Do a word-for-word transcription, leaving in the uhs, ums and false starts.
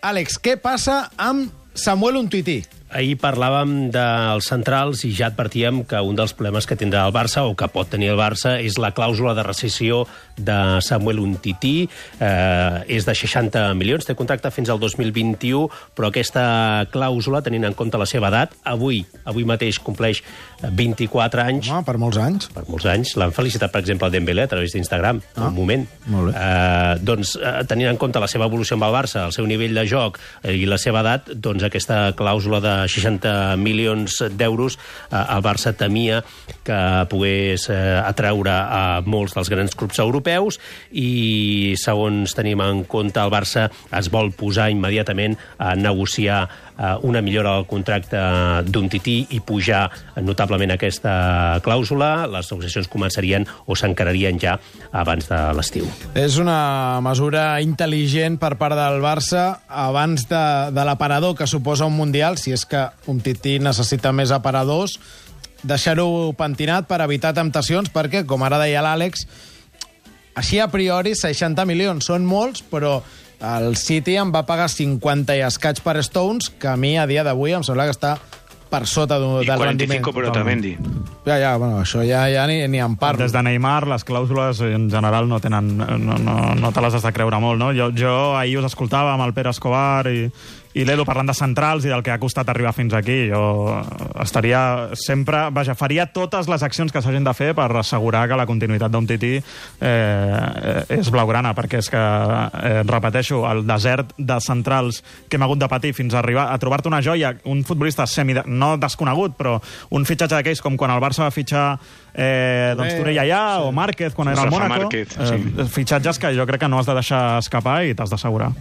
Àlex, què passa amb Samuel Umtiti? Ahir parlàvem dels centrals i ja advertíem que un dels problemes que tindrà el Barça, o que pot tenir el Barça, és la clàusula de rescissió de Samuel Umtiti. Eh, és de seixanta milions, té contracte fins al dos mil vint-i-u, però aquesta clàusula, tenint en compte la seva edat, avui avui mateix compleix vint-i-quatre anys. Home, per molts anys. Per molts anys. L'han felicitat, per exemple, el Dembélé a través d'Instagram, ah, un moment. Molt bé. Eh, doncs, eh, tenint en compte la seva evolució amb el Barça, el seu nivell de joc eh, i la seva edat, doncs aquesta clàusula de seixanta milions d'euros, eh, el Barça temia que pogués eh, atraure a molts dels grans clubs europeus i, segons tenim en compte, el Barça es vol posar immediatament a negociar eh, una millora del contracte d'Umtiti i pujar notablement aquesta clàusula. Les negociacions començarien o s'encararien ja abans de l'estiu. És una mesura intel·ligent per part del Barça abans de, de l'aparador que suposa un Mundial, si és que Umtiti necessita més aparadors, deixar-ho pentinat per evitar temptacions, perquè, com ara deia l'Àlex, així a priori seixanta milions són molts, però el City em va pagar cinquanta i escaig per Stones, que a mi a dia d'avui em sembla que està per sota del I rendiment. quaranta y cinco per Otamendi. Ja, ja, bueno, això ja, ja ni, ni en parlo. Des de Neymar, les clàusules en general no tenen, no, no, no te les has de creure molt, no? Jo, jo ahir us escoltava amb el Pere Escobar i, i l'Edu parlant de centrals i del que ha costat arribar fins aquí. Jo estaria sempre... Vaja, faria totes les accions que s'hagin de fer per assegurar que la continuïtat d'Umtiti eh, és blaugrana, perquè és que, eh, repeteixo, el desert de centrals que hem hagut de patir fins a arribar a trobar-te una joia, un futbolista semi... no desconegut, però un fitxatge d'aquells com quan el Barça va fitxar eh, doncs Torella ja, sí, o Márquez quan era al Mónaco. Márquez, sí. eh, fitxatges que jo crec que no has de deixar escapar i t'has d'assegurar.